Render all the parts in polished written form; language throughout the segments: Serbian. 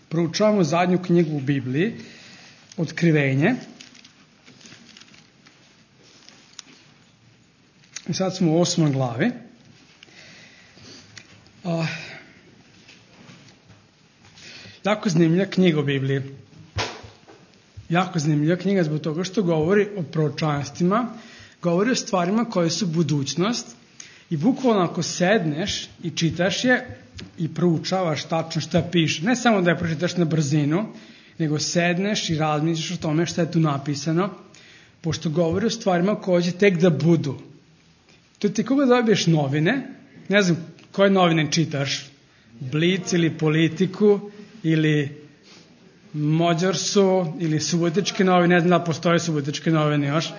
Proučavamo zadnju knjigu u Bibliji, Otkrivenje. I sad smo u 8. glavi. Jako zanimljiva knjiga u Bibliji. Jako zanimljiva knjiga zbog toga što govori o proročanstvima, govori o stvarima koje su budućnost i bukvalno ako sedneš i čitaš je i proučavaš tačno šta piše, ne samo da je pročitaš na brzinu, nego sedneš i razmišljaš o tome šta je tu napisano, pošto govori o stvarima koje će tek da budu. To ti koga dobiješ novine, ne znam koje novine čitaš, Blic ili Politiku ili Mođorsu ili Subotičke novine, ne znam da postoje Subotičke novine još.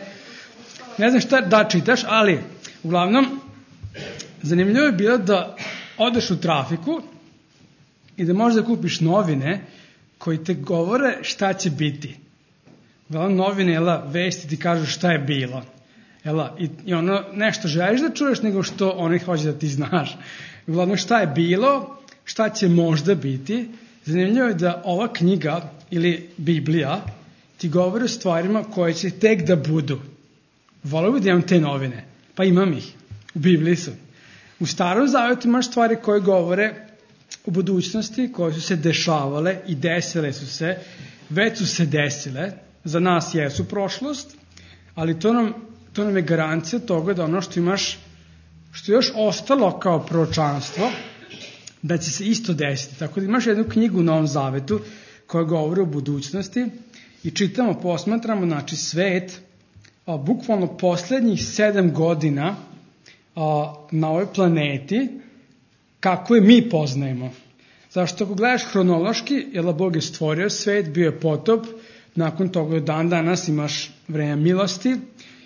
Ne znam šta da čitaš, ali uglavnom zanimljivo je bilo da odeš u trafiku i da možeš da kupiš novine koji te govore šta će biti. Uglavnom novine, vesti ti kažu šta je bilo. I ono nešto želiš da čuješ nego što oni hoće da ti znaš. Uglavnom šta je bilo, šta će možda biti. Zanimljivo je da ova knjiga ili Biblija ti govori o stvarima koje će tek da budu. Voleo bih da imam te novine, pa imam ih. U Bibliji su. U Starom Zavetu imaš stvari koje govore o budućnosti, koje su se dešavale i desile su se, već su se desile, za nas jesu prošlost, ali to nam je garancija toga da ono što imaš, što je još ostalo kao proročanstvo, da će se isto desiti. Tako da imaš jednu knjigu u Novom Zavetu koja govori o budućnosti i čitamo, posmatramo, znači svet, bukvalno poslednjih 7 godina na ovoj planeti, kako je mi poznajemo. Zašto ako gledaš hronološki, Bog je stvorio svet, bio je potop, nakon toga dan danas imaš vreme milosti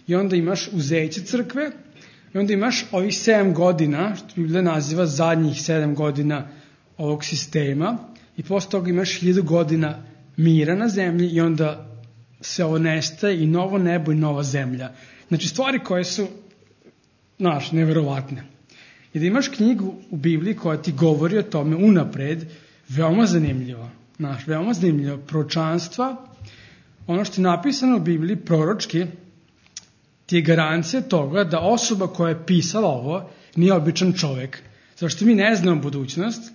i onda imaš uzeće crkve i onda imaš ovih 7 godina, što Biblija naziva zadnjih 7 godina ovog sistema i posle toga imaš 1000 godina mira na zemlji i onda se ovo nestaje i novo nebo i nova zemlja. Znači stvari koje su neverovatne. I da imaš knjigu u Bibliji koja ti govori o tome unapred, veoma zanimljivo. Veoma zanimljivo. Proročanstva, ono što je napisano u Bibliji proročki, ti je garancija toga da osoba koja je pisala ovo nije običan čovek. Zašto mi ne znamo budućnost,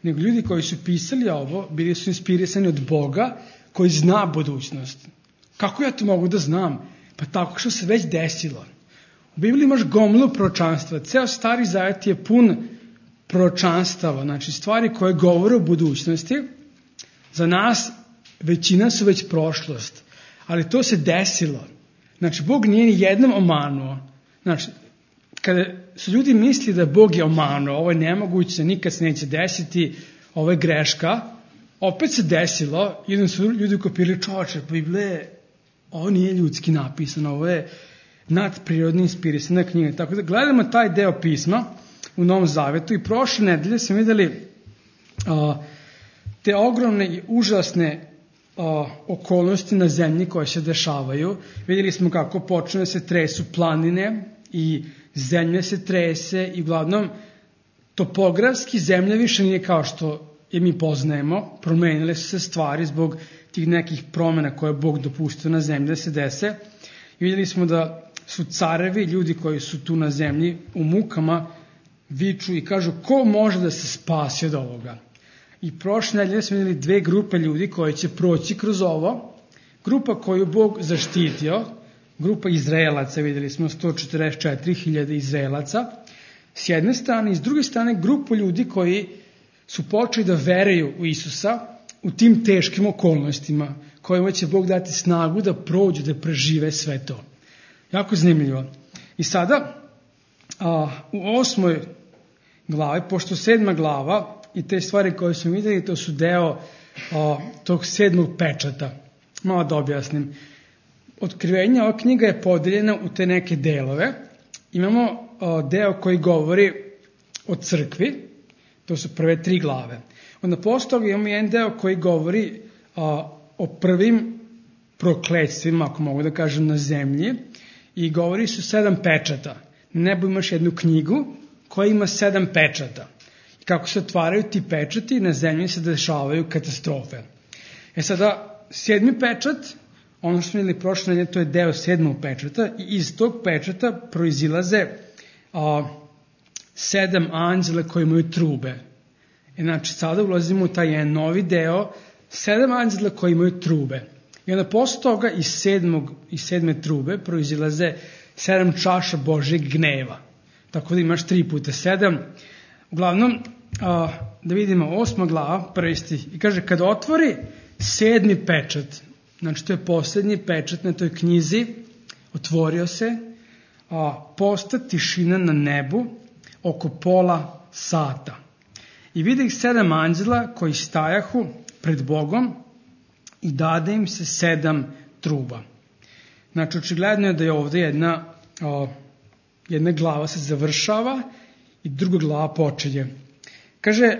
nego ljudi koji su pisali ovo bili su inspirisani od Boga koji zna budućnost. Kako ja to mogu da znam? Pa tako što se već desilo. U Bibliji imaš gomilu proročanstva. Ceo Stari Zavet je pun proročanstava, znači stvari koje govore o budućnosti. Za nas većina su već prošlost, ali to se desilo. Znači, Bog nije ni jednom omanuo. Znači, kada su ljudi mislili da Bog je omanuo, ovo je nemoguće, nikad se neće desiti, ovo je greška, opet se desilo, jedan su ljudi kopirali, čoveče, Biblije, ovo nije ljudski napisano, ovo je nadprirodno inspirisana knjiga. Tako da gledamo taj deo pisma u Novom Zavetu i prošle nedelje smo videli te ogromne i užasne okolnosti na zemlji koje se dešavaju. Vidjeli smo kako počne da se tresu planine i zemlja se trese i uglavnom topografski zemlja više nije kao što je mi poznajemo. Promenile su se stvari zbog tih nekih promjena koje je Bog dopustio na zemlji da se dese. I vidjeli smo da su carevi, ljudi koji su tu na zemlji u mukama, viču i kažu ko može da se spasi od ovoga. I prošle nedelje smo vidjeli 2 grupe ljudi koji će proći kroz ovo. Grupa koju Bog zaštitio, grupa Izraelaca, vidjeli smo 144.000 Izraelaca, s jedne strane, i s druge strane grupu ljudi koji su počeli da veruju u Isusa u tim teškim okolnostima, kojima će Bog dati snagu da prođu, da prežive sve to. Jako zanimljivo. I sada, u 8. glavi, pošto 7. glava i te stvari koje smo vidjeli, to su deo tog 7. pečata. Malo da objasnim. Otkrivenje, ova knjiga je podeljena u te neke delove. Imamo deo koji govori o crkvi, to su prve 3 glave. Onda posle toga imamo jedan deo koji govori o prvim prokledstvima, ako mogu da kažem, na zemlji, i govori su 7 pečata. Na nebu imaš jednu knjigu koja ima 7 pečata. kako se otvaraju ti pečati, na zemlji se dešavaju katastrofe. Sada, 7. pečat, ono što smo videli prošle nedelje, to je deo 7. pečata i iz tog pečata proizilaze 7 anđela koji imaju trube. Znači, sada ulazimo u taj jedan novi deo, 7 anđela koji imaju trube. I onda posle toga iz 7. trube proizilaze 7 čaša Božjeg gneva. Tako da imaš 3 puta 7. Uglavnom, da vidimo 8. glava, prvi stih. I kaže, kada otvori 7. pečat, znači to je posljednji pečat na toj knjizi, otvorio se, posta tišina na nebu oko pola sata. I vidi ih 7 anđela koji stajahu pred Bogom i dade im se 7 truba. Znači, očigledno je da je ovdje jedna glava se završava i druga glava počinje. Kaže,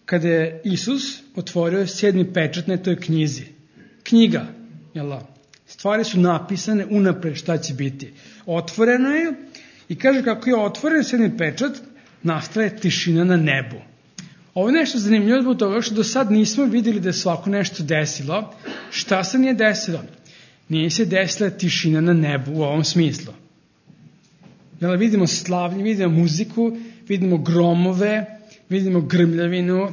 kada je Isus otvorio 7. pečat na toj knjizi, knjiga, stvari su napisane unapred šta će biti. Otvoreno je i kaže kako je otvoren 7. pečat, nastaje tišina na nebu. Ovo je nešto zanimljivo zbog toga što do sad nismo vidjeli da je svako nešto desilo. Šta se nije desilo? Nije se desila tišina na nebu u ovom smislu. Vidimo slavlje, vidimo muziku, vidimo gromove, vidimo grmljavinu,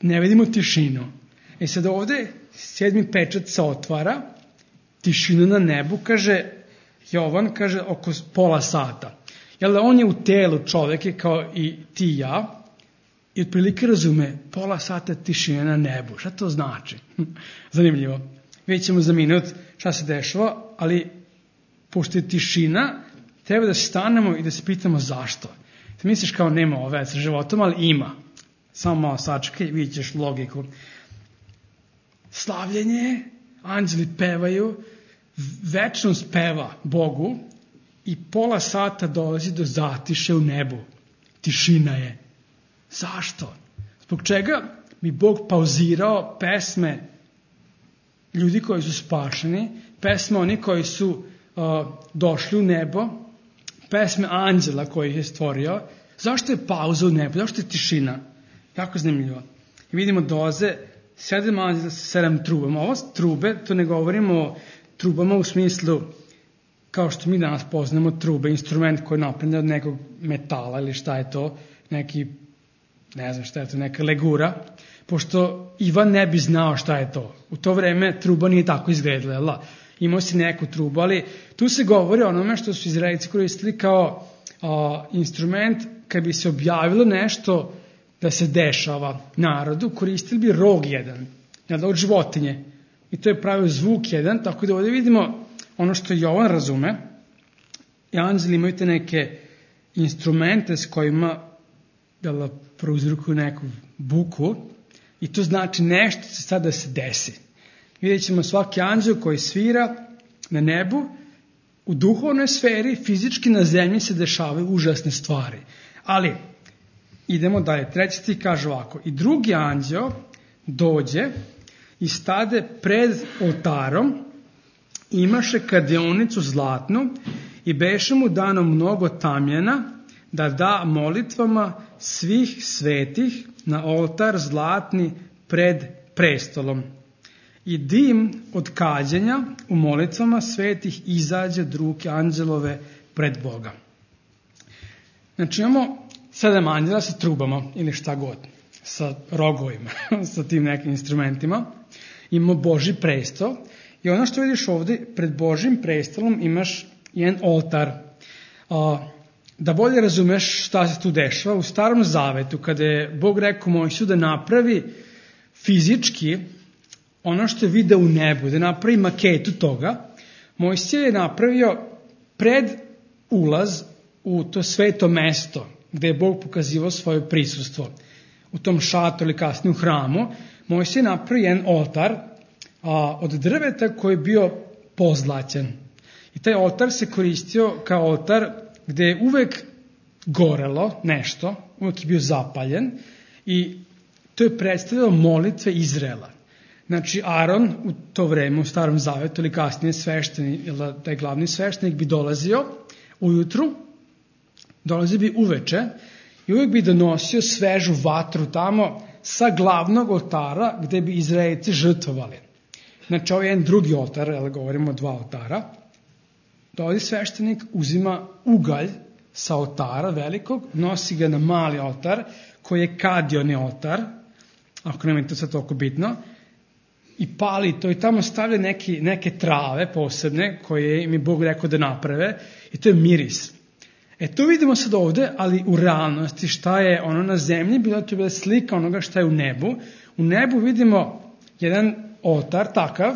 ne vidimo tišinu. Sad ovdje 7. pečat se otvara, tišina na nebu, kaže Jovan, kaže oko pola sata. On je u telu čovjek kao i ti i ja, i otprilike razume, pola sata tišina na nebu. Šta to znači? Zanimljivo. Vidjet ćemo za minut šta se dešava, ali pošto je tišina, treba da stanemo i da se pitamo zašto. Ti misliš kao nema ove sa životom, ali ima. Samo malo sačekaj i vidjet ćeš logiku. Slavljenje, anđeli pevaju, večnost peva Bogu i pola sata dolazi do zatiše u nebu. Tišina je. Zašto? Zbog čega bi Bog pauzirao pesme ljudi koji su spašeni, pesme oni koji su došli u nebo, pesme anđela koji ih je stvorio? Zašto je pauza u nebu? Zašto je tišina? Jako zanimljivo. I vidimo dolaze 7 anđela sa 7 trubama. Ovo trube, to ne govorimo o trubama u smislu kao što mi danas poznamo trube, instrument koji je napravljen od nekog metala ili šta je to, neki, ne znam šta je to, neka legura, pošto Ivan ne bi znao šta je to. U to vreme truba nije tako izgledala. Imao si neku trubu, ali tu se govori o onome što su Izraelci koristili kao instrument kad bi se objavilo nešto da se dešava narodu, koristili bi rog jedan, od životinje. I to je pravio zvuk jedan, tako da ovdje vidimo ono što Jovan razume. I anđeli imaju te neke instrumente s kojima prouzrokuju neku buku i to znači nešto će sada se desi. Vidjet ćemo svaki anđel koji svira na nebu, u duhovnoj sferi, fizički na zemlji se dešavaju užasne stvari. Ali, idemo dalje. 3. stih kaže ovako. I drugi anđel dođe i stade pred oltarom, imaše kadionicu zlatnu i beše mu dano mnogo tamjana da da molitvama svih svetih na oltar zlatni pred prestolom. I dim od kađenja u molitvama svetih izađe od ruke anđelove pred Boga. Znači imamo 7 anđela sa trubama ili šta god, sa rogovima, sa tim nekim instrumentima. Imamo Božji prestol i ono što vidiš ovdje, pred Božjim prestolom imaš jedan oltar. Da bolje razumeš šta se tu dešava, u Starom Zavetu, kada je Bog rekao Mojsiju da napravi fizički ono što je video u nebu, da napravi maketu toga, Mojsije je napravio pred ulaz u to sveto mesto gdje je Bog pokazivao svoje prisustvo. U tom šatoru ili kasnije u hramu, Mojsije je napravio jedan oltar od drveta koji je bio pozlaćen. I taj oltar se koristio kao oltar gdje je uvek gorelo nešto, uvek je bio zapaljen i to je predstavljalo molitve Izraela. Znači, Aron u to vreme, u Starom Zavetu ili kasnije sveštenik, ili taj glavni sveštenik bi dolazio ujutru, dolazio bi uveče i uvijek bi donosio svežu vatru tamo sa glavnog oltara gde bi Izraelci žrtvovali. Znači, ovo je jedan drugi oltar, ali govorimo o 2 oltara. Dolazi sveštenik, uzima ugalj sa oltara velikog, nosi ga na mali oltar, koji je kadioni oltar, ako nema to sad toliko bitno, i pali to i tamo stavlja neke trave posebne koje im je Bog rekao da naprave i to je miris. To vidimo sad ovde, ali u realnosti šta je ono na zemlji, to je bila slika onoga šta je u nebu. U nebu vidimo jedan oltar takav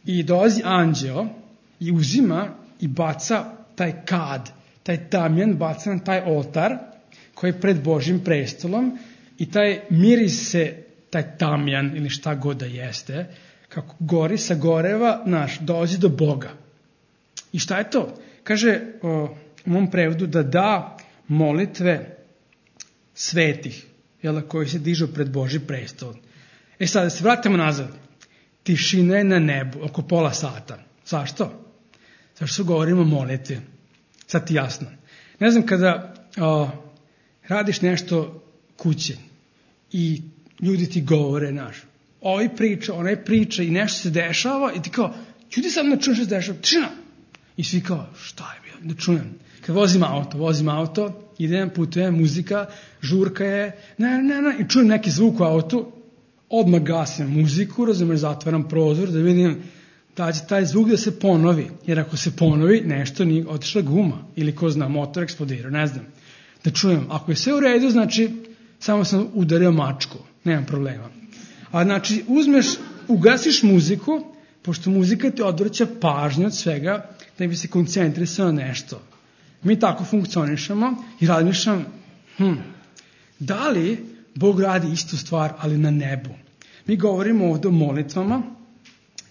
i dolazi anđeo i uzima i baca taj kad, taj tamjan baca na taj oltar koji je pred Božjim prestolom i taj miris se, taj tamjan ili šta god da jeste, kako gori sa goreva, dolazi do Boga. I šta je to? Kaže u mom prevodu da molitve svetih, koji se dižu pred Božji prestol. Sad, da se vratimo nazad. Tišina je na nebu, oko pola sata. Zašto? Zašto govorimo o molitvi? Sad ti jasno. Ne znam, kada radiš nešto kuće i ljudi ti govore, ovaj priča, onaj priča i nešto se dešava i ti kao, ljudi sam ne čujem što se dešava, tišina! I svi kao, šta je bilo, ne čujem. Kad vozim auto, idem, putujem, muzika, žurka je, i čujem neki zvuk u autu, odmah gasim muziku, zatvaram prozor da vidim da će taj zvuk da se ponovi, jer ako se ponovi, nešto nije otišla guma, ili ko zna, motor eksplodirao, ne znam. Da čujem, ako je sve u redu, znači, samo sam udario mačku, nemam problema. A znači, ugasiš muziku, pošto muzika ti odvraća pažnju od svega, da bi se koncentrisao na nešto. Mi tako funkcionišemo i razmišljam, da li Bog radi istu stvar, ali na nebu? Mi govorimo ovdje o molitvama,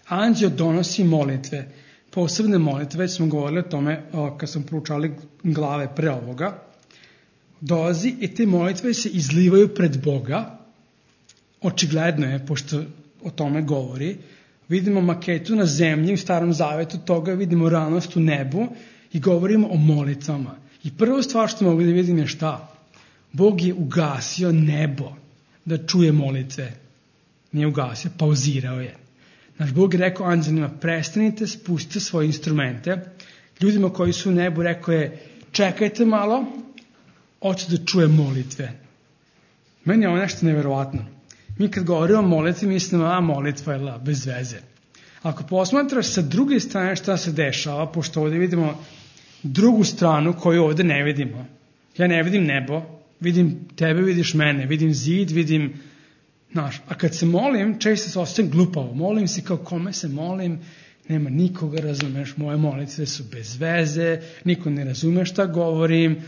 anđeo donosi molitve, posebne molitve, već smo govorili o tome kad smo proučali glave pre ovoga, dolazi i te molitve se izlivaju pred Boga, očigledno je, pošto o tome govori, vidimo maketu na zemlji, u Starom Zavetu toga, vidimo realnost u nebu i govorimo o molitvama. I prva stvar što mogu da vidim je šta? Bog je ugasio nebo da čuje molitve. Nije ugasio, pauzirao je. Bog je rekao anđelima, prestanite, spustite svoje instrumente. Ljudima koji su u nebu rekao je, čekajte malo, hoću da čuje molitve. Meni je ovo nešto neverovatno. Mi kad govorimo o molitvi, mislimo, molitva je bez veze. Ako posmatraš sa druge strane šta se dešava, pošto ovdje vidimo drugu stranu koju ovdje ne vidimo. Ja ne vidim nebo, vidim tebe, vidiš mene, vidim zid, vidim, a kad se molim, često se osjećam glupavo. Molim se kao kome se molim, nema nikoga, razumeš, moje molitve su bez veze, niko ne razume šta govorim,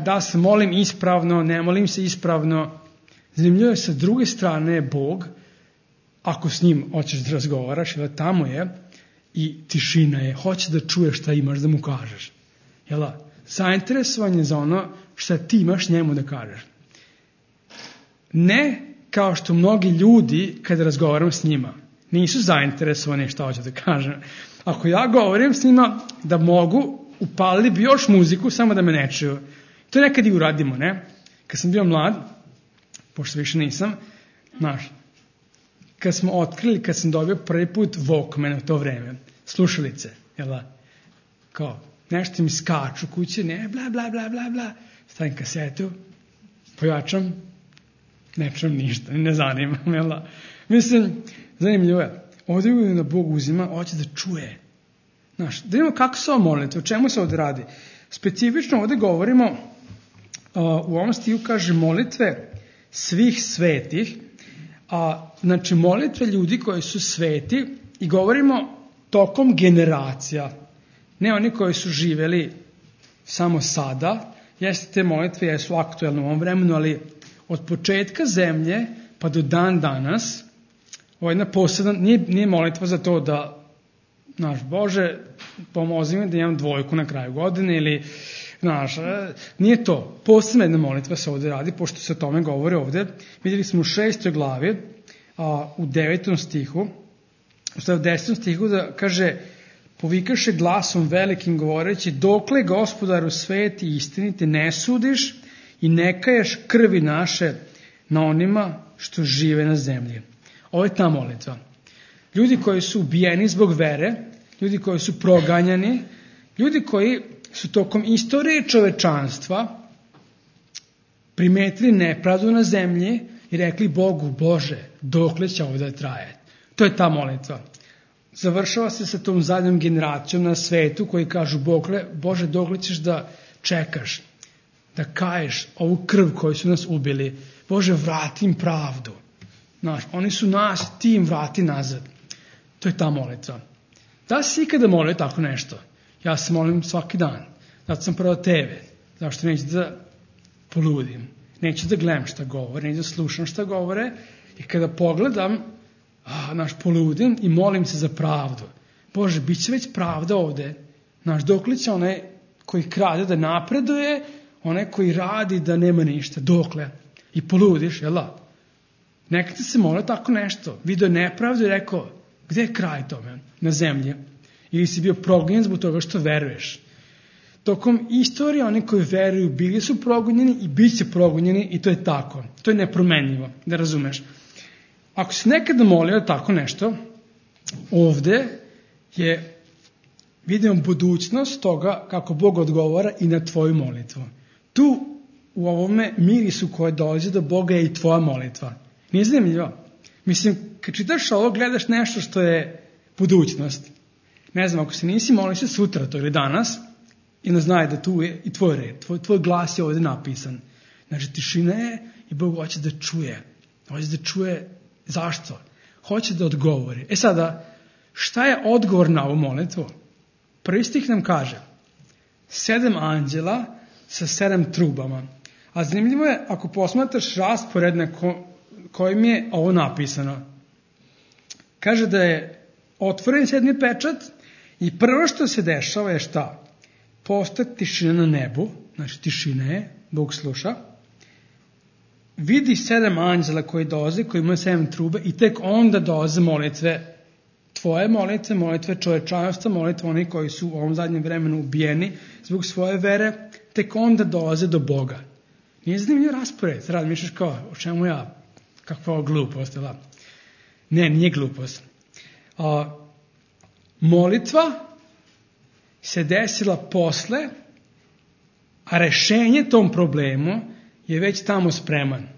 da se molim ispravno, ne molim se ispravno. Zanimljivo je, sa druge strane je Bog, ako s njim hoćeš da razgovaraš, jer tamo je i tišina je, hoće da čuješ šta imaš da mu kažeš. Zainteresovan je za ono šta ti imaš njemu da kažeš. Ne kao što mnogi ljudi, kada razgovaram s njima, nisu zainteresovani šta hoće da kažem. Ako ja govorim s njima da mogu, upalili bi još muziku, samo da me ne čuju. To nekad i uradimo, ne? Kad sam bio mlad, pošto više nisam, kad smo otkrili, kad sam dobio prvi put Walkman u to vreme, slušalice, kao, nešto mi skaču kuće, ne, bla, bla, bla, bla, bla, stavim kasetu, pojačam, ne čujem ništa, ne zanima, Mislim, zanimljivo je, ovdje je da Bog uzima, hoće da čuje. Da vidimo kako se ovo molite, o čemu se ovdje radi. Specifično ovdje govorimo, u ovom stihu kaže molitve svih svetih, znači molitve ljudi koji su sveti i govorimo tokom generacija, ne oni koji su živjeli samo sada, jeste te molitve jesu aktuelne u ovom vremenu, ali od početka zemlje pa do dan danas, ovo je jedna posebna, nije molitva za to da, Bože, pomozi mi da imam 2 na kraju godine ili, nije to. Posebna jedna molitva se ovdje radi, pošto se o tome govori ovdje. Vidjeli smo u 6. glavi, u 9. stihu, u 10. stihu da kaže, povikaše glasom velikim govoreći: dokle, Gospodaru sveti i istiniti, ne sudiš i ne kaješ krvi naše na onima što žive na zemlji. Ovo je ta molitva. Ljudi koji su ubijeni zbog vere, ljudi koji su proganjani, ljudi koji su tokom istorije čovečanstva primetili nepravdu na zemlji i rekli Bogu: Bože, dokle će ovo da traje? To je ta molitva. Završava se sa tom zadnjom generacijom na svetu koji kažu: Bože, dokle ćeš da čekaš, da kaješ ovu krv koju su nas ubili? Bože, vrati im pravdu. Oni su nas, ti im vrati nazad. To je ta molitva. Da si ikada molio tako nešto? Ja se molim svaki dan. Zato sam prvo tebe. Zašto neću da poludim? Neću da gledam šta govore, neću da slušam šta govore. I kada pogledam, poludim i molim se za pravdu. Bože, bit će već pravda ovde. Dokle će onaj koji krade da napreduje, onaj koji radi da nema ništa. Dokle? I poludiš, jel da? Nekada se molio tako nešto. Vidio nepravdu i rekao: gde je kraj tome na zemlji? Ili si bio progonjen zbog toga što veruješ. Tokom istorije oni koji veruju bili su progonjeni i bit će progonjeni, i to je tako. To je nepromenljivo, da razumeš. Ako si nekada molio tako nešto, ovde vidimo budućnost toga kako Bog odgovara i na tvoju molitvu. Tu u ovome mirisu koje dolazi do Boga je i tvoja molitva. Nije zanimljivo? Mislim, kad čitaš ovo, gledaš nešto što je budućnost. Ne znam, ako se nisi molio se sutra to ili danas, i ne znaj da tu je i tvoj red, tvoj glas je ovdje napisan. Znači, tišina je i Bog hoće da čuje. Hoće da čuje zašto? Hoće da odgovori. Sada, šta je odgovor na ovu molitvu? Prvi stih nam kaže: 7 anđela sa 7 trubama. A zanimljivo je ako posmatraš raspored na kojim je ovo napisano. Kaže da je otvoren 7. pečat i prvo što se dešava je šta? Postoji tišina na nebu, znači tišina je, Bog sluša. Vidi 7 anđela koji dolaze, koji imaju 7 trube, i tek onda dolaze molitve, tvoje molitve, molitve čovečanstva, molitve oni koji su u ovom zadnjem vremenu ubijeni zbog svoje vere, tek onda dolaze do Boga. Nije zanimljiv raspored, rad mišliš kao, o čemu ja, kakva glupost, da? Ne, nije glupost. Molitva se desila posle, a rešenje tom problemu je već tamo spreman.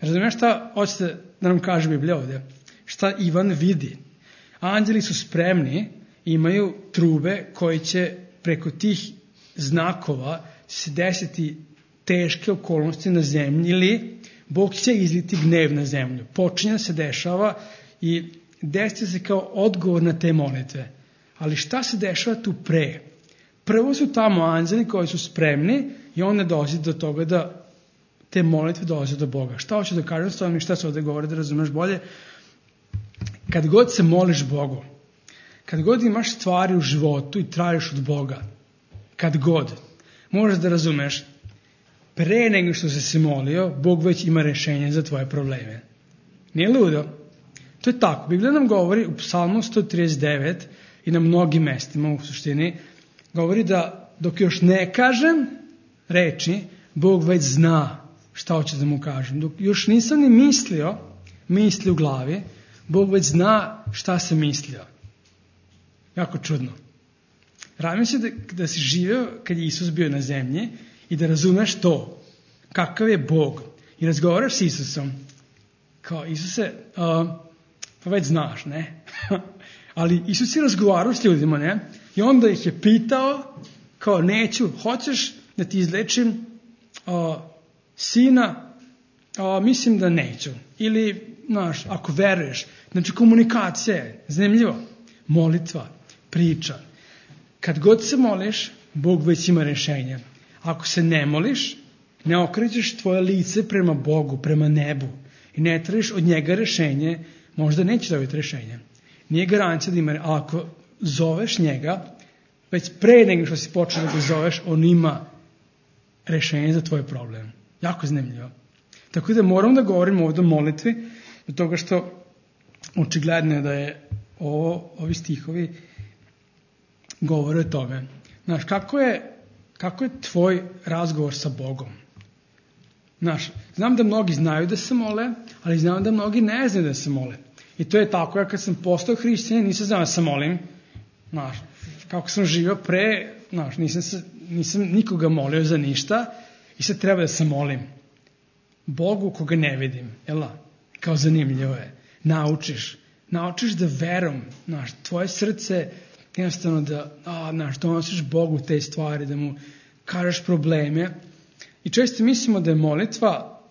Razumiješ šta hoćete da nam kaže Biblija ovdje? Šta Ivan vidi? Anđeli su spremni, imaju trube koji će preko tih znakova se desiti teške okolnosti na zemlji, ili Bog će izliti gnev na zemlju. Počinje da se dešava i desiti se kao odgovor na te molitve. Ali šta se dešava tu pre? Prvo su tamo anđeli koji su spremni i onda dolazi do toga da te molitve dolaze do Boga. Šta hoću da kažem s tom i šta se ovdje govori da razumeš bolje? Kad god se moliš Bogu, kad god imaš stvari u životu i tražiš od Boga, kad god, možeš da razumeš, pre nego što se molio, Bog već ima rešenje za tvoje probleme. Nije ludo? To je tako. Biblija nam govori u Psalmu 139 i na mnogim mestima u suštini, govori da dok još ne kažem reči, Bog već zna šta hoće da mu kažem. Dok još nisam ni misli u glavi, Bog već zna šta sam mislio. Jako čudno. Radim se da si živio kad je Isus bio na zemlji i da razumeš to, kakav je Bog. I razgovaraš s Isusom. Kao, Isuse, pa već znaš, ne? Ali Isus je razgovarao s ljudima, ne? I onda ih je pitao, kao, neću, hoćeš da ti izlečim sina? Mislim da neću. Ili, znaš, ako veruješ. Znači, komunikacija je zanimljivo. Molitva, priča. Kad god se moliš, Bog već ima rešenje. Ako se ne moliš, ne okrećeš tvoje lice prema Bogu, prema nebu i ne tražiš od njega rešenje, možda neće dobiti rešenje. Nije garancija da ima, ali ako zoveš njega, već pre nego što si počeo da ga zoveš, on ima rešenje za tvoj problem. Jako zanimljivo. Tako da moram da govorim ovdje o molitvi, do toga što očigledno je da je ovi stihovi govore o tome. Znaš, kako je tvoj razgovor sa Bogom? Znaš, znam da mnogi znaju da se mole, ali znam da mnogi ne znaju da se mole. I to je tako, ja kad sam postao hrišćanin, nisam znao da se molim. Znaš, kako sam živio pre, znaš, nisam nikoga molio za ništa i sad treba da se molim Bogu koga ne vidim. Jela, kao zanimljivo je. Naučiš da verom, znaš, tvoje srce jednostavno da donosiš Bogu te stvari, da mu kažeš probleme. I često mislimo da je molitva,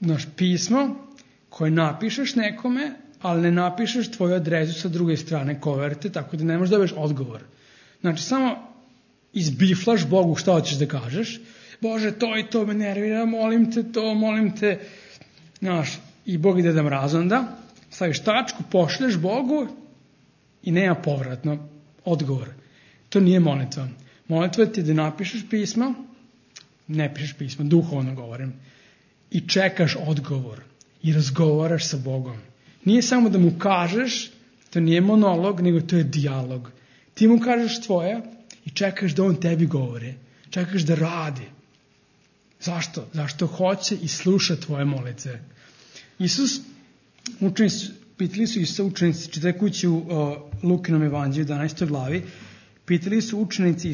znaš, pismo koje napišeš nekome, ali ne napišeš tvoju adresu sa druge strane koverte, tako da ne možeš dobiješ odgovor. Znači, samo izbiflaš Bogu šta hoćeš da kažeš. Bože, to i to me nervira, molim te. Znaš, i Bog ide da mraz onda. Staviš tačku, pošleš Bogu i nema povratno odgovor. To nije molitva. Molitva ti je da napišeš pismo, ne pišeš pismo, duhovno govorim, i čekaš odgovor i razgovaraš sa Bogom. Nije samo da mu kažeš, to nije monolog, nego to je dijalog. Ti mu kažeš tvoje i čekaš da on tebi govori. Čekaš da radi. Zašto? Zašto hoće i sluša tvoje molitve. Pitali su Isusa učenici, čitaj kući u Lukinom evanđelju, 11. glavi, pitali su učenici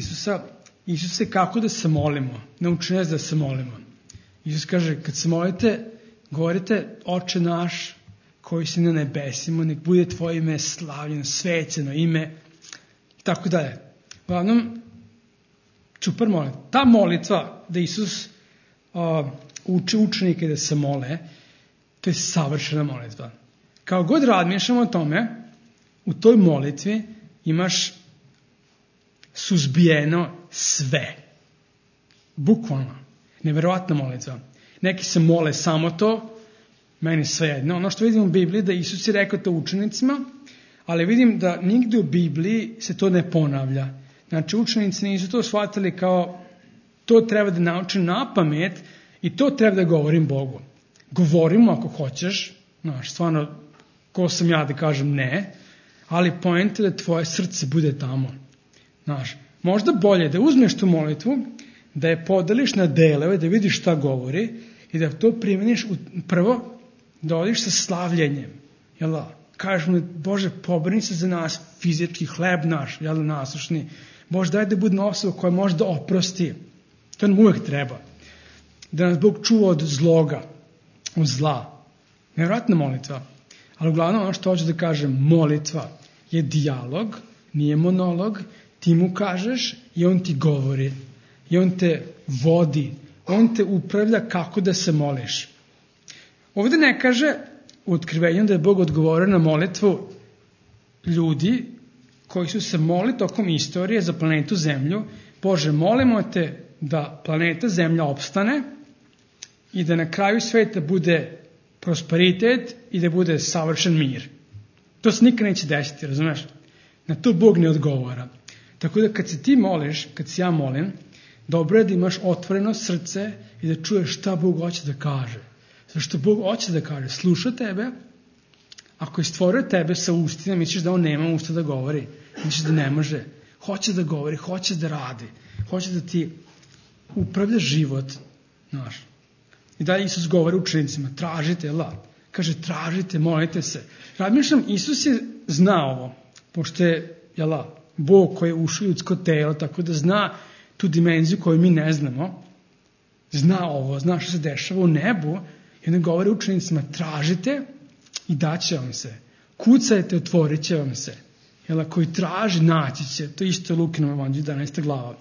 Isuse, kako da se molimo? Nauči nas da se molimo. Isus kaže, kad se molite, govorite, Oče naš, koji si na nebesima, nek bude tvoje ime slavljeno, svećeno ime, i tako dalje. Uglavnom, super molitva. Ta molitva da Isus uči učenike da se mole, to je savršena molitva. Kao god razmišljamo o tome, u toj molitvi imaš suzbijeno sve. Bukvalno. Neverovatna molitva. Neki se mole samo to, meni svejedno. Ono što vidim u Bibliji da Isus je rekao to učenicima, ali vidim da nigde u Bibliji se to ne ponavlja. Znači učenici nisu to shvatili kao to treba da naučim na pamet i to treba da govorim Bogu. Govorimo ako hoćeš, znaš, stvarno, ko sam ja da kažem ne, ali poenta je da tvoje srce bude tamo. Znaš, možda bolje da uzmeš tu molitvu, da je podeliš na delove, da vidiš šta govori i da to primeniš prvo, da odiš sa slavljenjem. Jel da? Kažeš mu, Bože, pobrini se za nas, fizički hleb naš, jel da, nasušni. Bože, daj da budemo osoba koja može da oprosti. To nam uvek treba. Da nas Bog čuva od zloga, od zla. Nevjerojatna molitva. Ali uglavnom ono što hoću da kažem, molitva je dijalog, nije monolog, ti mu kažeš i on ti govori. I on te vodi, on te upravlja kako da se moliš. Ovdje ne kaže u otkrivenju da je Bog odgovorio na molitvu ljudi koji su se molili tokom istorije za planetu Zemlju. Bože, molimo te da planeta Zemlja opstane i da na kraju sveta bude prosperitet i da bude savršen mir. To se nikad neće desiti, razumeš? Na to Bog ne odgovara. Tako da kad se ti moliš, kad se ja molim, dobro je da imaš otvoreno srce i da čuješ šta Bog hoće da kaže. Zašto Bog hoće da kaže, sluša tebe, ako je stvorio tebe sa ustima, misliš da on nema usta da govori, misliš da ne može, hoće da govori, hoće da radi, hoće da ti upravlja život, znaš. I dalje Isus govori učenicima, tražite, kaže, tražite, molite se. Razmišljam, Isus je znao ovo, pošto je, Bog koji je ušao u ljudsko telo, tako da zna tu dimenziju koju mi ne znamo, zna ovo, zna što se dešava u nebu, i onda govori učenicima, tražite i daće vam se. Kucajte, otvorit će vam se. Koji traži, naći će. To isto je Lukinom evanđelju, 11. glava.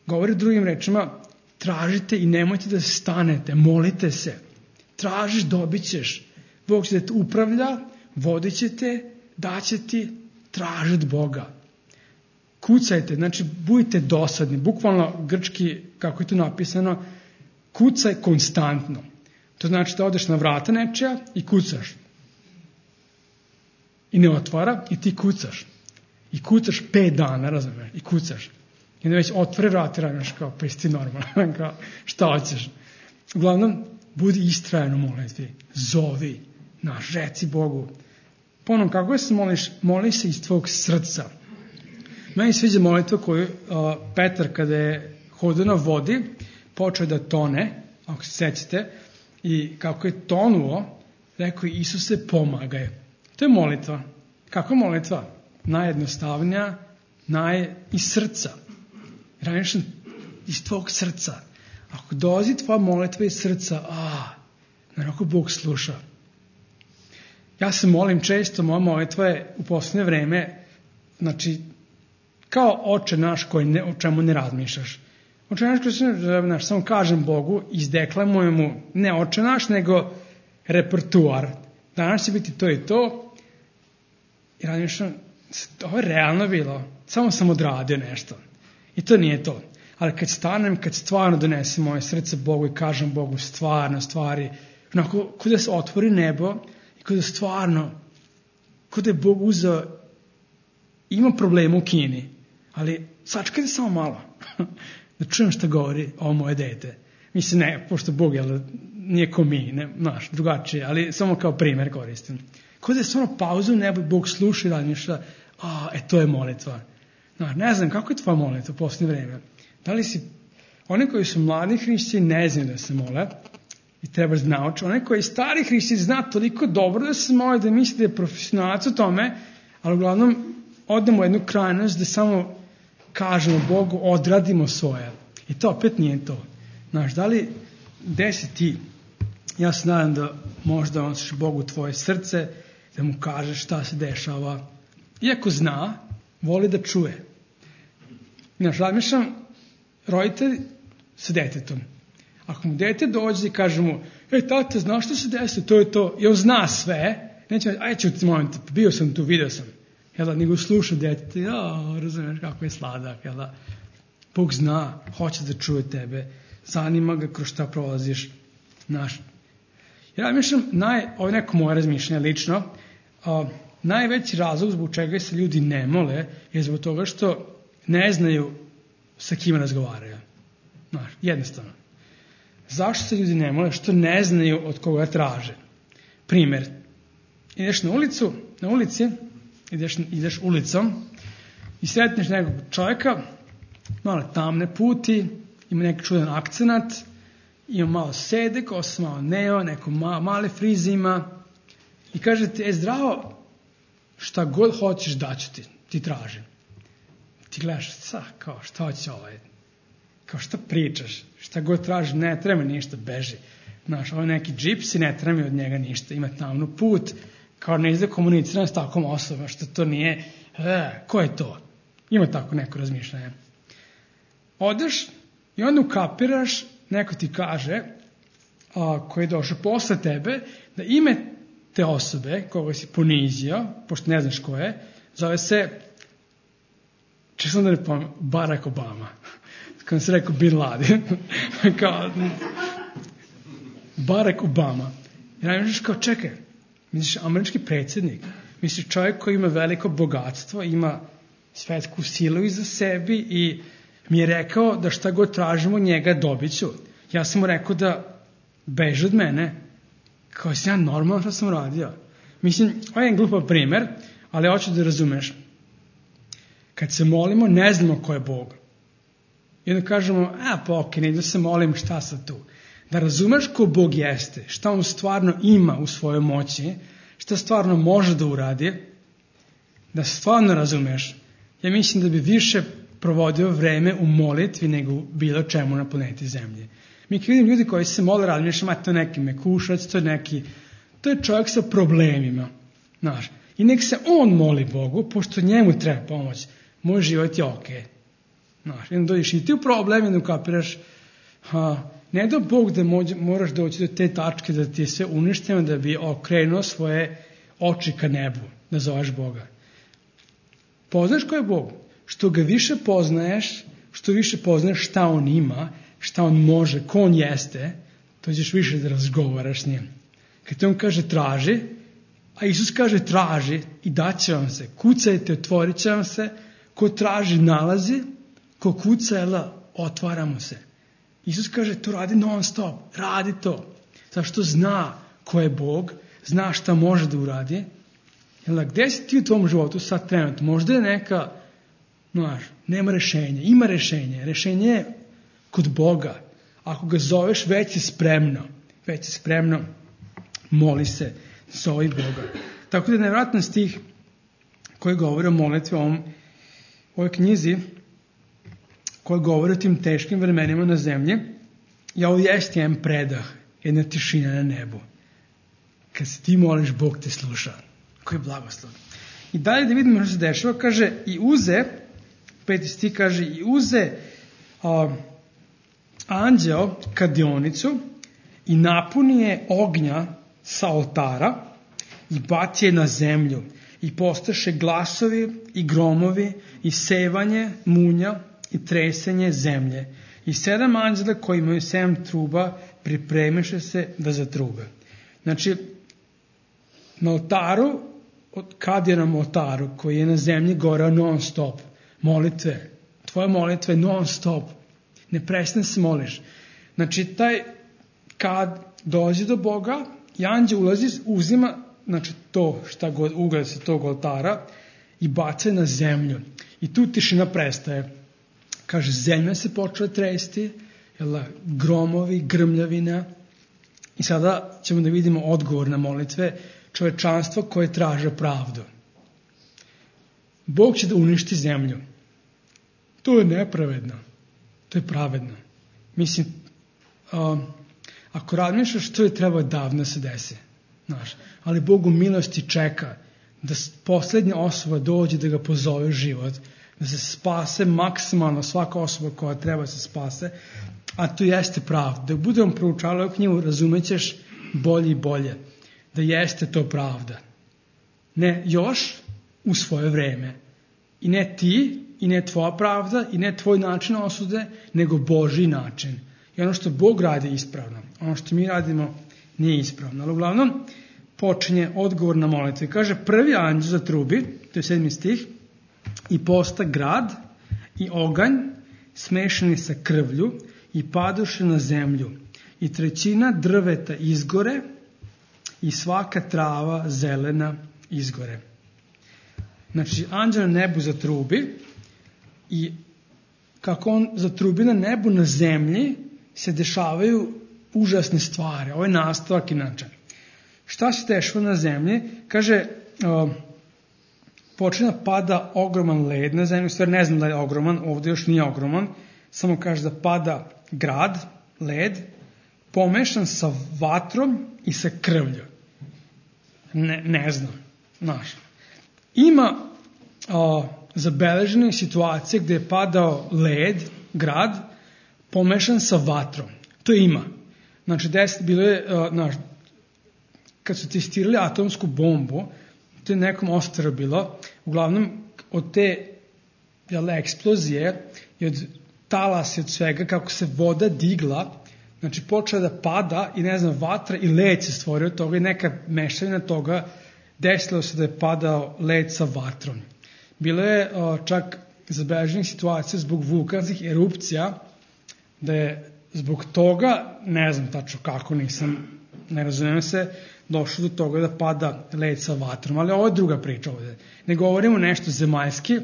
Govori drugim rečima, tražite i nemojte da stanete, molite se. Tražiš, dobit ćeš. Bog će da te upravlja, vodit će te, daće ti, traži od Boga. Kucajte, znači budite dosadni. Bukvalno grčki, kako je tu napisano, kucaj konstantno. To znači da odeš na vrata nečija i kucaš. I ne otvara i ti kucaš. I kucaš 5 dana, razumiješ, i kucaš. I onda već otvore vrata, razumiješ, kao, pa jesi ti normalno, kao, šta hoćeš. Uglavnom, budi istrajan u molitvi. Zovi, reci Bogu. Ponovno, kako se moliš? Moli se iz tvog srca. Meni sviđa molitva koju Petar kada je hodio na vodi, počeo da tone, ako se sećate, i kako je tonuo, rekao je Isuse pomagaj. To je molitva. Kako je molitva? Najjednostavnija, iz srca. Raniš iz tvojeg srca. Ako dolazi tvoja molitva iz srca, naravno Bog sluša. Ja se molim često, moja molitva je u posljednje vreme, znači, kao Oče naš o čemu ne razmišljaš. Oče naš, samo kažem Bogu, izdeklamujem mu, ne Oče naš, nego repertuar. Danas će biti to i to. I razmišljam, ovo je realno bilo. Samo sam odradio nešto. I to nije to. Ali kad stanem, kad stvarno donesem moje srce Bogu i kažem Bogu stvarno stvari, onako, kod da se otvori nebo i kod da stvarno, kod da je Bog uzeo, ima problema u Kini, ali sačekajte samo malo, da čujem šta govori ovo moje dete. Mislim, ne, pošto Bog nije ko mi, ne, drugačije, ali samo kao primjer koristim. Kod da je stvarno pauza u nebu i Bog sluša i razmišlja, to je molitva. Ne znam, kako je tvoja molitva u posljednje vreme? Da li si, oni koji su mladi hrišćani ne znaju da se mole i treba naučiti. Oni koji stari hrišćani zna toliko dobro da se mole, da misli da je profesionalac u tome, ali uglavnom odemo u jednu krajnost da samo kažemo Bogu, odradimo svoje. I to opet nije to. Da li desi ti, ja se nadam da možda nosiš Bogu tvoje srce, da mu kažeš šta se dešava. Iako zna, voli da čuje. Razmišljam, roditelj sa detetom. Ako mu dete dođe i kaže mu, tate, znaš što se desi, to je to, i on zna sve, neće, ću ti moment, bio sam tu, video sam. Nego sluša dete, razumiješ kako je sladak, Bog zna, hoće da čuje tebe, zanima ga kroz šta prolaziš. Ja mislim, ovo je neko moje razmišljanje lično, najveći razlog zbog čega se ljudi ne mole je zbog toga što ne znaju sa kim razgovaraju. Jednostavno. Zašto se ljudi ne mole? Što ne znaju od koga traže. Primjer, ideš na ulici, ideš ulicom i sretneš nekog čovjeka, malo tamne puti, ima neki čudan akcenat, ima malo sede, kosa malo neo, neko male frize ima i kaže ti, zdravo, šta god hoćeš daću ti tražim. Ti gledaš, kao šta hoće kao šta pričaš, šta god tražiš, ne treba ništa, beži. Ovo je neki džips i ne treba mi od njega ništa, ima tamnu put, kao ne izda komunicirano s takvom osobom, što to nije, ko je to? Ima tako neko razmišljanje. Odeš i onda ukapiraš, neko ti kaže, koji je došao posle tebe, da ime te osobe, koga si ponizio, pošto ne znaš ko je, zove se, često da ne pomijem, Barack Obama. Kada se rekao Bin Laden. Kao, Barack Obama. I najmišljaš kao, čekaj, misliš američki predsjednik, misliš čovjek koji ima veliko bogatstvo, ima svetsku silu iza sebi i mi je rekao da šta god tražimo njega dobit ću. Ja sam mu rekao da beži od mene, kao sam ja normalno što sam radio. Mislim, ovo je jedan glupav primjer, ali hoću da razumeš. Kad se molimo, ne znamo ko je Bog. I onda kažemo, ne da se molim, šta sad tu? Da razumeš ko Bog jeste, šta on stvarno ima u svojoj moći, šta stvarno može da uradi, da stvarno razumeš. Ja mislim da bi više provodio vreme u molitvi nego bilo čemu na planeti Zemlje. Mi kad vidim ljudi koji se mole, razmišljam, to je neki mekušac, to je čovjek sa problemima. I nek se on moli Bogu, pošto njemu treba pomoć. Moj život je okej. Jedno dođeš i ti u problem, jedno kapiraš, ne da Bog da moraš doći do te tačke da ti je sve uništeno, da bi okrenuo svoje oči ka nebu, da zoveš Boga. Poznaš ko je Bog? Što ga više poznaješ, što više poznaješ šta on ima, šta on može, ko on jeste, to ćeš više da razgovaraš s njim. Kad on kaže traži, a Isus kaže traži i daće vam se, kucajte, otvorit će vam se, ko traži nalazi, ko kuca, otvara mu se. Isus kaže to radi non stop, radi to. Zašto zna ko je Bog, zna šta može da uradi. Gdje si ti u tvom životu sad trenutno? Možda je neka Znaš, nema rešenja. Ima rešenje. Rešenje je kod Boga. Ako ga zoveš, već je spremno. Već je spremno. Moli se. Zovi Boga. Tako da je nevjerojatan stih koji govori o molitvi u ovoj knjizi, koji govori o tim teškim vremenima na zemlji. I ovo jeste jedan predah, jedna tišina na nebu. Kad se ti moliš, Bog te sluša. Koji je blagoslov. I dalje da vidimo što se dešava, kaže, i uze, 5. stih kaže, i uze anđeo kadionicu i napuni je ognja sa oltara i baci je na zemlju i postaše glasovi i gromovi i sevanje munja i tresenje zemlje. I 7 anđela koji imaju 7 truba pripremiše se da zatrube. Znači, na oltaru, kad je na oltaru koji je na zemlji goreo non stop, molitve, tvoja molitva je non stop, ne prestane se moliš. Znači, kad dolazi do Boga i anđel ulazi, uzima, znači to šta god ugled sa tog oltara i baca na zemlju. I tu tišina prestaje. Kaže, zemlja se počela tresti, gromovi, grmljavina. I sada ćemo da vidimo odgovor na molitve čovečanstva koje traže pravdu. Bog će da uništi zemlju. To je nepravedno. To je pravedno. Mislim, ako razmišljaš, to je trebao davno se desi. Znaš, ali Bog u milosti čeka da poslednja osoba dođe da ga pozove u život, da se spase maksimalno svaka osoba koja treba se spase, a to jeste pravda. Da budemo proučavali ovu knjigu, razumećeš bolje i bolje da jeste to pravda. Ne još u svoje vreme. I ne ti, i ne tvoja pravda, i ne tvoj način osude, nego Božji način. I ono što Bog radi ispravno, ono što mi radimo nije ispravno. Ali uglavnom počinje odgovor na molitvu. Kaže, prvi anđel zatrubi, to je 7. stih, i posta grad i oganj smešani sa krvlju i padoše na zemlju. I 1/3 drveta izgore i svaka trava zelena izgore. Znači, anđel na nebu zatrubi i kako on zatrubi na nebu, na zemlji se dešavaju užasne stvari. Ovo je nastavak inače. Šta se dešava na zemlji? Kaže, počne da pada ogroman led na zemlji, u stvari ne znam da je ogroman, ovdje još nije ogroman, samo kaže da pada grad, led, pomešan sa vatrom i sa krvlju. Ne znam, znaš. Ima zabeležene situacije gdje je padao led, grad, pomešan sa vatrom. To ima. Znači, bilo je, kad su testirali atomsku bombu, to je nekom ostrvo bilo, uglavnom od te eksplozije i od talasa i od svega, kako se voda digla, znači počela da pada i vatra i led se stvorio od toga i neka mešavina toga, desilo se da je padao led sa vatrom. Bilo je čak zabeleženih situacija zbog vulkanskih erupcija, da je zbog toga, ne znam tačno kako, ne razumijem se, došlo do toga da pada led sa vatrom, ali ovo je druga priča ovdje. Ne govorimo nešto zemaljski,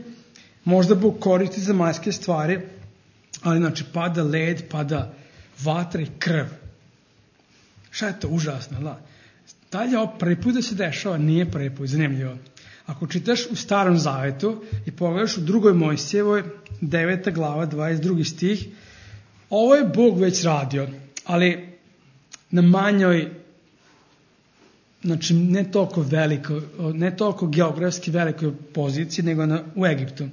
možda Bog koristi zemaljske stvari, ali znači pada led, pada vatra i krv. Šta je to užasno, da? Dalje ovo prvi put da se dešava, nije prvi put, zanimljivo. Ako čitaš u Starom Zavetu i pogledaš u 2. Mojsijevoj, 9. glava, 22. stih, ovo je Bog već radio, ali na manjoj, znači ne toliko geografski velikoj poziciji, nego u Egiptu.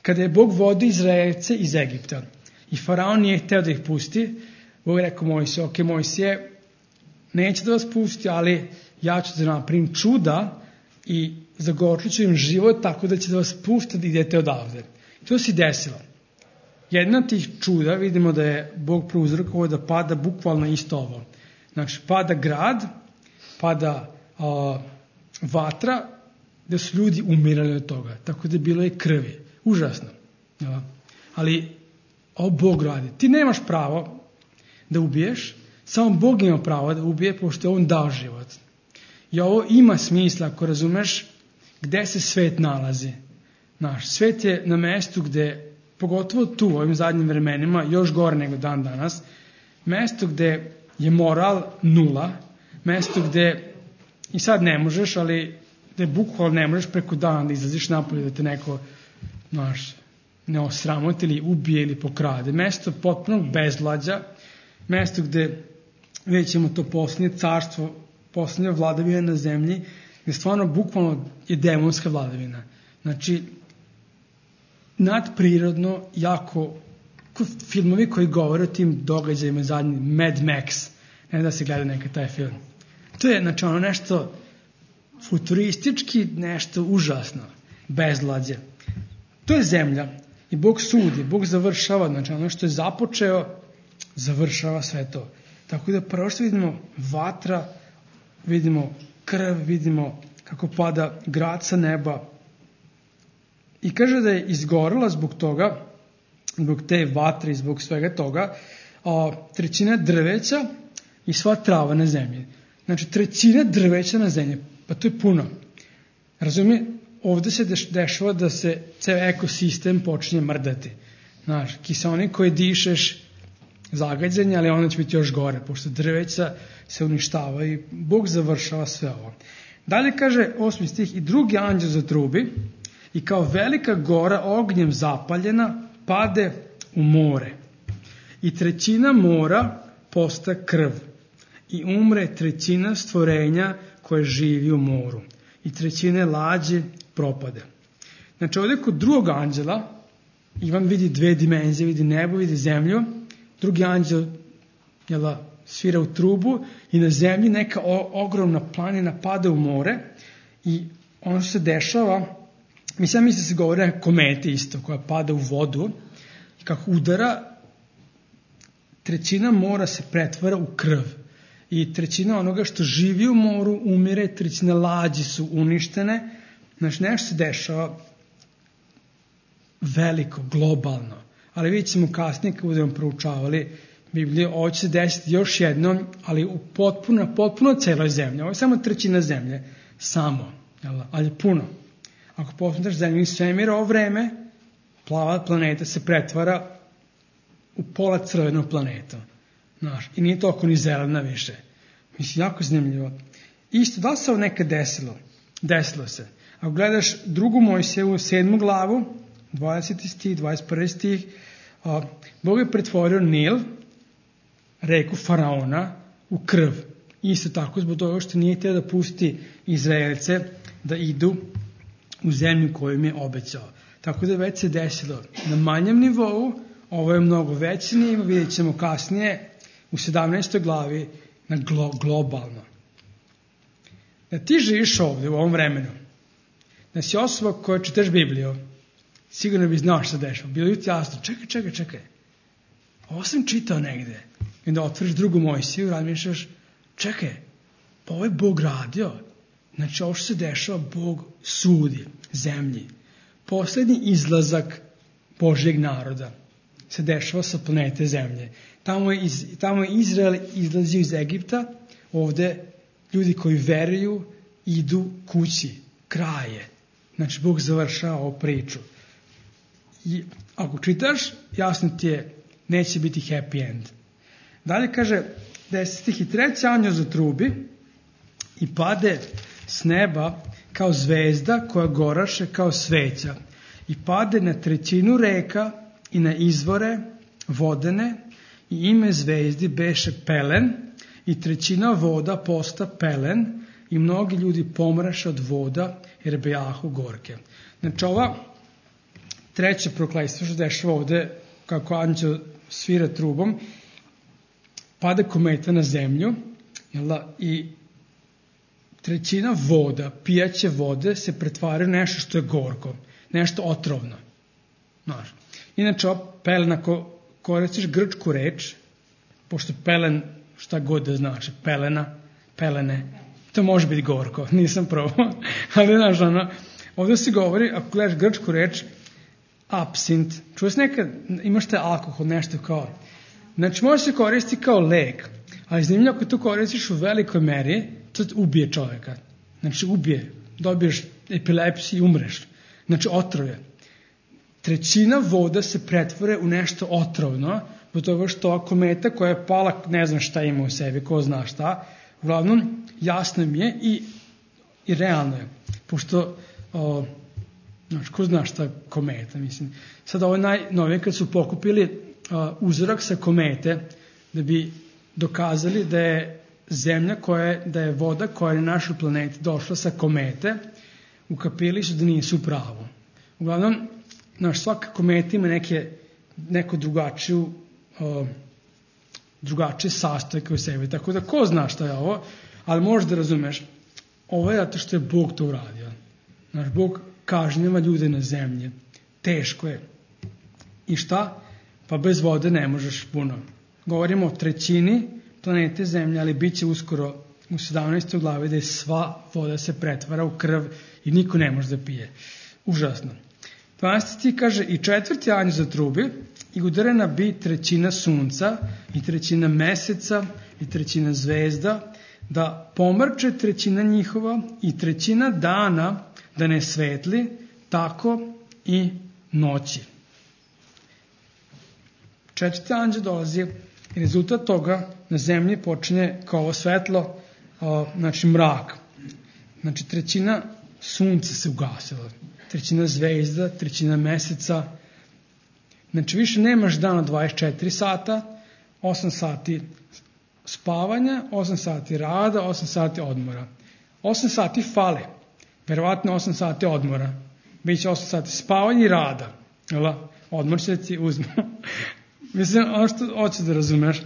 Kada je Bog vodio Izraelce iz Egipta i faraon nije hteo da ih pusti, Bog je rekao Mojsije, ok, Mojsije, neće da vas pusti, ali ja ću da napravim čuda i zagorčit ću im život tako da će da vas pusti da idete odavde. To se desilo. Jedna od tih čuda, vidimo da je Bog prouzrokovao da pada bukvalno isto ovo. Znači, pada grad, pada vatra, da su ljudi umirali od toga. Tako da je bilo i krvi. Užasno. Ja. Ali ovo Bog radi. Ti nemaš pravo da ubiješ, samo Bog ima pravo da ubije, pošto je on dao život. I ovo ima smisla, ako razumeš gde se svet nalazi. Svet je na mestu gde, pogotovo tu u ovim zadnjim vremenima, još gore nego dan danas, mesto gde je moral nula, mesto gde i sad ne možeš, ali gde bukvalno ne možeš preko dana da izlaziš napolje da te neko ne osramoti ili ubije ili pokrade. Mesto potpunog bezvlađa, mesto gde vidjet ćemo to poslednje carstvo, poslednja vladavina na zemlji, gde stvarno bukvalno je demonska vladavina. Znači, nadprirodno, jako, filmovi koji govore o tim događajima zadnji, Mad Max, ne da se gleda neka taj film. To je, znači, ono nešto futuristički, nešto užasno, bezvlađe. To je zemlja i Bog sudi, Bog završava, znači ono što je započeo, završava sve to. Tako da prvo što vidimo vatra, vidimo krv, vidimo kako pada grad sa neba i kaže da je izgorela zbog toga, zbog te vatre i zbog svega toga, trećina drveća i sva trava na zemlji. Znači trećina drveća na zemlji, pa to je puno. Razumije? Ovde se dešava da se ceo ekosistem počinje mrdati. Znaš, kiseonik koji dišeš zagađanje, ali onda će biti još gore, pošto drveća se uništava i Bog završava sve ovo. Dalje kaže 8. stih, i drugi anđeo zatrubi i kao velika gora ognjem zapaljena pade u more. I trećina mora posta krv i umre trećina stvorenja koje živi u moru. I trećine lađe propade. Znači ovdje kod drugog anđela Ivan vidi dve dimenzije, vidi nebo, vidi zemlju, drugi anđel svira u trubu i na zemlji neka ogromna planina pada u more i ono što se dešava, mislim da se govori o kometi isto koja pada u vodu i kako udara, trećina mora se pretvara u krv i trećina onoga što živi u moru umire, trećina lađi su uništene. Znači nešto se dešava veliko, globalno, ali vidjet ćemo kasnije kad budemo proučavali Bibliju, ovo će se desiti još jednom, ali u potpuno celoj zemlji. Ovo je samo trećina zemlje, samo, ali puno. Ako posmetaš zemlju i svemir, ovo vreme, plava planeta se pretvara u pola crvenu planetu. Znaš, i nije toliko ni zelena više. Mislim, jako zanimljivo. Isto, da li se ovo nekad desilo? Desilo se. Ako gledaš drugu Mojsijevu 7. glavu, 20. stih, 21. stih, Bog je pretvorio Nil, reku Faraona, u krv. Isto tako zbog toga što nije htio da pusti Izraelce da idu u zemlju koju im je obećao. Tako da već se desilo na manjem nivou, ovo je mnogo veći nivo, vidjet ćemo kasnije u 17. glavi na globalno. Da ti živiš ovdje u ovom vremenu, da si osoba koja čitaš Bibliju, sigurno bi znao što se dešava. Bilo je jasno, čekaj. Ovo sam čitao negde. I da otvoriš drugu Mojsiju, razmišljaš, čekaj, pa ovo je Bog radio. Znači ovo što se dešava, Bog sudi zemlji. Poslednji izlazak Božjeg naroda se dešava sa planete zemlje. Tamo je Izrael izlazio iz Egipta, ovde ljudi koji veruju idu kući, kraje. Znači Bog završava ovu priču. I ako čitaš, jasno ti je, neće biti happy end. Dalje kaže, 10. i 3. anđeo zatrubi i pade s neba kao zvezda koja goraše kao sveća i pade na trećinu reka i na izvore vodene i ime zvezdi beše pelen i trećina voda posta pelen i mnogi ljudi pomraše od voda jer bejahu gorke. Znači ova treće prokletstvo što dešava ovde, kako anđeo svira trubom, pada kometa na zemlju i trećina voda, pijaće vode se pretvara u nešto što je gorko, nešto otrovno. Znaš. Inače, pelen, ako koristiš grčku reč, pošto pelen, šta god da znači, pelene, to može biti gorko, nisam probao, ali znaš, ovdje se govori, ako gledaš grčku reč, absint, čuo se nekad, imaš te alkohol, nešto kao, znači može se koristiti kao lek, ali zanimljivo ako to koristiš u velikoj meri, to ubije čovjeka, znači ubije, dobiješ epilepsiju i umreš. Znači otrove. Trećina voda se pretvore u nešto otrovno, zbog toga što ova kometa koja je pala, ne znam šta ima u sebi, ko zna šta, uglavnom jasno mi je i realno je. Pošto, znači, ko zna šta kometa, mislim. Sad ovo najnovije kad su pokupili uzorak sa komete, da bi dokazali da je zemlja da je voda koja je na našoj planeti došla sa komete, ukapili su da nisu u pravu. Uglavnom, svaka kometa ima neko drugačije sastojke u sebi, tako da ko zna šta je ovo, ali možeš da razumeš, ovo je zato što je Bog to uradio. Bog kažnjava ljude na zemlji. Teško je. I šta? Pa bez vode ne možeš puno. Govorimo o trećini planete Zemlje, ali bit će uskoro u 17. glavi da je sva voda se pretvara u krv i niko ne može da pije. Užasno. 12. stih kaže, i četvrti anđeo zatrubi i udarena bi trećina sunca i trećina meseca i trećina zvezda, da pomrče trećina njihova i trećina dana da ne svetli, tako i noći. Četvrti anđeo dolazi i rezultat toga na zemlji počinje kao ovo svetlo, znači mrak. Znači trećina sunca se ugasila, trećina zvezda, trećina meseca. Znači više nemaš dana 24 sata, 8 sati spavanja, 8 sati rada, 8 sati odmora. 8 sati fale, verovatno 8 sati odmora. Biće 8 sati spavanja i rada. Odmor će da ti uzme. Mislim, ono što hoćeš da razumeš,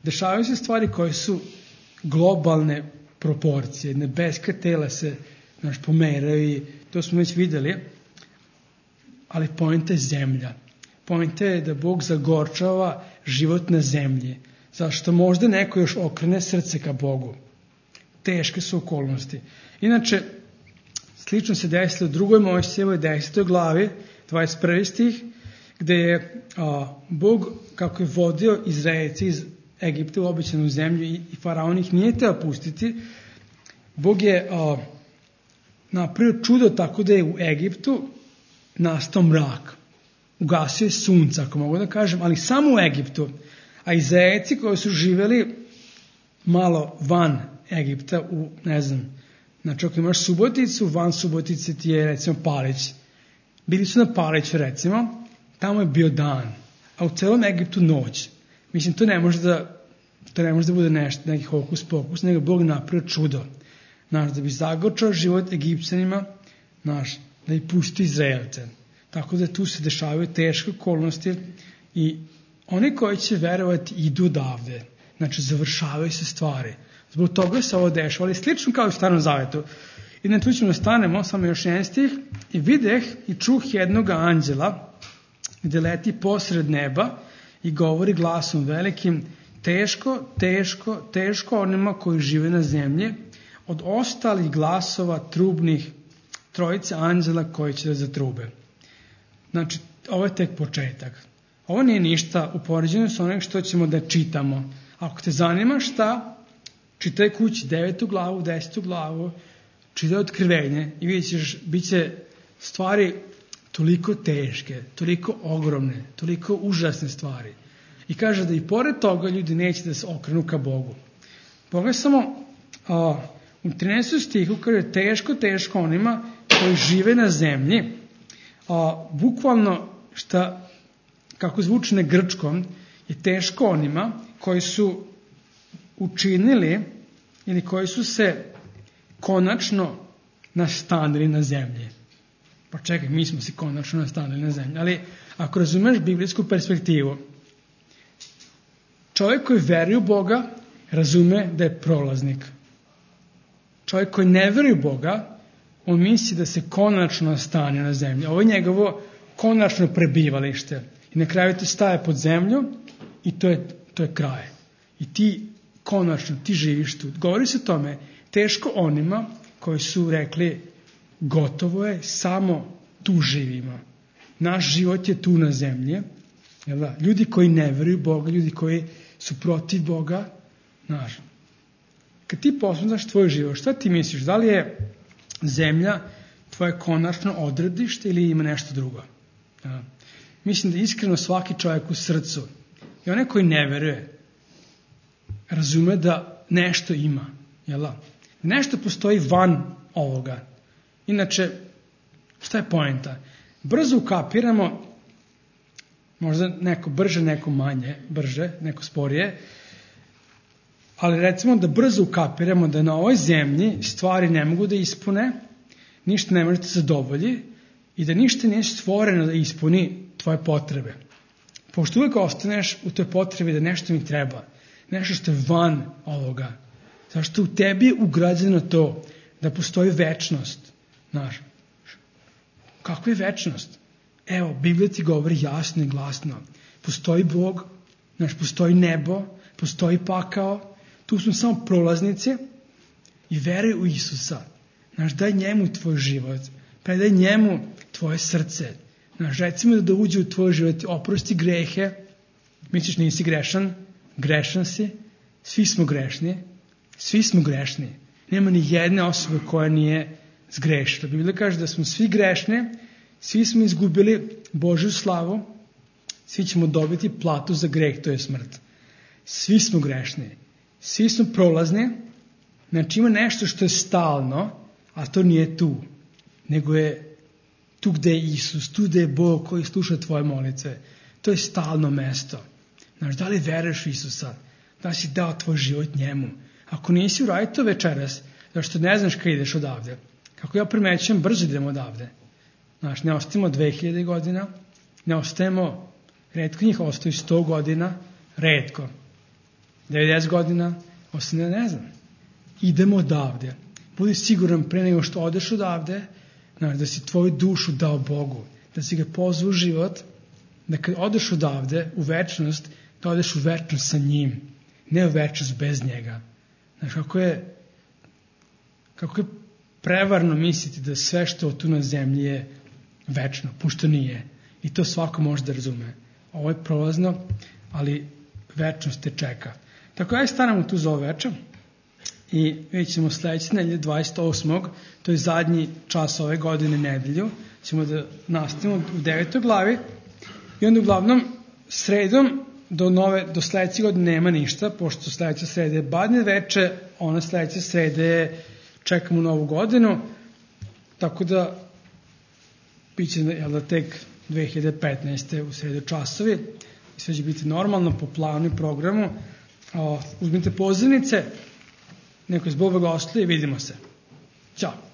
dešavaju se stvari koje su globalne proporcije. Nebeska tela se pomeraju i to smo već videli, ali poenta je zemlja. Poenta je da Bog zagorčava život na zemlji, zašto možda neko još okrene srce ka Bogu. Teške su okolnosti. Inače, slično se desilo u 2. Mojsijevoj 10. glavi, 21. stih, gde je Bog, kako je vodio Izraelce iz Egipta u obećanu zemlju i faraon ih nije teo pustiti, Bog je napravio čudo tako da je u Egiptu nastao mrak. Ugasio je sunca, ako mogu da kažem, ali samo u Egiptu. A Izraelci koji su živeli malo van Egipta, znači ako imaš Suboticu, van Subotice ti je recimo Palić. Bili su na Paliću recimo, tamo je bio dan, a u celom Egiptu noć. Mislim, to ne može da bude nešto, neki hokus pokus, nego Bog napravio čudo. Da bi zagorčao život Egipćanima, da bi pusti Izraelce. Tako da tu se dešavaju teške okolnosti i oni koji će verovati idu odavde. Znači, završavaju se stvari. Zbog toga se ovo dešava, ali slično kao i u Starom Zavetu. I na tu ćemo stanemo, samo još jedan stih, i videh i čuh jednog anđela, gde leti posred neba i govori glasom velikim, teško, teško, teško onima koji žive na zemlji, od ostalih glasova trubnih trojice anđela koji će da zatrube. Znači, ovo je tek početak. Ovo nije ništa u poređenju sa onim što ćemo da čitamo. Ako te zanima šta, čitaj kući 9. glavu, 10. glavu, čitaj Otkrivenje i vidjet ćeš, bit će stvari toliko teške, toliko ogromne, toliko užasne stvari. I kaže da i pored toga ljudi neće da se okrenu ka Bogu. Pogledaj samo u 13. stihu kaže teško, teško onima koji žive na zemlji. Bukvalno kako zvuči na grčkom, je teško onima koji su učinili ili koji su se konačno nastanili na zemlji. Pa čekaj, mi smo se konačno nastanili na zemlji. Ali ako razumeš biblijsku perspektivu, čovjek koji veruje u Boga razume da je prolaznik. Čovjek koji ne veruje u Boga, on misli da se konačno nastanio na zemlji. Ovo je njegovo konačno prebivalište. I na kraju ti staje pod zemlju i to je kraj. I ti konačno, ti živiš tu. Govori se o tome, teško onima koji su rekli gotovo je, samo tu živimo. Naš život je tu na zemlji. Ljudi koji ne veruju Boga, ljudi koji su protiv Boga, kad ti posmatraš tvoj život, šta ti misliš? Da li je zemlja tvoje konačno odredište ili ima nešto drugo. Mislim da iskreno svaki čovjek u srcu i onaj koji ne veruje razume da nešto ima. Jel da? Nešto postoji van ovoga. Inače, šta je poenta? Brzo ukapiramo, možda neko brže, neko manje brže, neko sporije, ali recimo da brzo ukapiramo da na ovoj zemlji stvari ne mogu da ispune, ništa ne može da zadovolji i da ništa nije stvoreno da ispuni tvoje potrebe. Pošto uvijek ostaneš u toj potrebi da nešto mi treba, nešto što je van ovoga. Zašto u tebi je ugrađeno to da postoji večnost. Znaš, kakva je večnost? Evo, Biblija ti govori jasno i glasno. Postoji Bog, znaš, postoji nebo, postoji pakao, tu smo samo prolaznici i veruj u Isusa. Znaš, daj njemu tvoj život, predaj njemu tvoje srce. Znaš, recimo da uđe u tvoj život, oprosti grehe, misliš nisi grešan, grešan si, svi smo grešni. Nema ni jedne osobe koja nije zgrešila. Biblija kaže da smo svi grešni, svi smo izgubili Božju slavu, svi ćemo dobiti platu za greh, to je smrt. Svi smo grešni, svi smo prolazni, znači ima nešto što je stalno, a to nije tu, nego je tu gde je Isus, tu gde je Bog koji sluša tvoje molitve. To je stalno mesto. Znaš, da li veruješ u Isusa? Da li si dao tvoj život njemu? Ako nisi, uradi to večeras, zašto ne znaš kada ideš odavde. Kako ja primećujem, brzo idemo odavde. Znaš, ne ostajemo 2000 godina, ne ostajemo, retko njih ostaju 100 godina, retko. 90 godina, ostane, ne znam. Idemo odavde. Budi siguran pre nego što odeš odavde, znaš, da si tvoju dušu dao Bogu, da si ga pozvao u život, da kad odeš odavde u večnost, da odeš u večnost sa njim, ne u večnost bez njega. Znaš, kako je prevarno misliti da sve što tu na zemlji je večno, pošto nije. I to svako može da razume. Ovo je prolazno, ali večnost te čeka. Tako ja stanemo tu za ovo večer i vidjet ćemo sledeće nedelje 28. To je zadnji čas ove godine nedelju. Ćemo da nastavimo u 9. glavi i onda uglavnom sredom do sledeće godine nema ništa, pošto sledeća sreda je Badnje veče, ona sledeća sreda je čekamo Novu godinu, tako da biće tek 2015. u sredu časovi i sve će biti normalno po planu i programu. Uzmite pozivnice, neko iz Boga gostuje i vidimo se. Ćao!